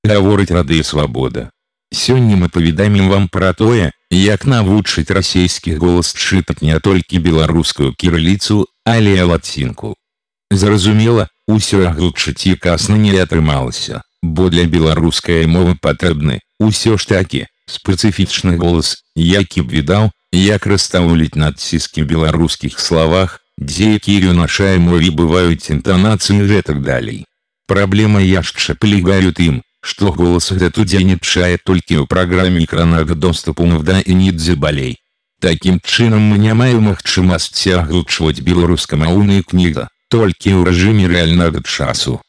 Гаворыць Радыё Свабода. Сёння мы паведамім вам пра тое, як навучыць расейскі голас чытаць не толькі беларускую кірыліцу, але і лацінку. Зразумела, усё агучыць якасна не атрымалася, бо для беларускай мовы патрэбны, усё ж такі, спецыфічны голас, які б відаў, як расстаўліць надціски ў беларускіх словах, дзе якія ў нашай мове бываюць інтанацыі і гэтак далей. Праблема яшчэ палягае ў тым, што голас гэты удзельнічае толькі ў праграме экраннага доступу «Навда» і «Нідзе балей». Такім чынам мы не маем магчымасці агучваць беларускамоўныя кнігі, толькі ў рэжыме рэальнага часу.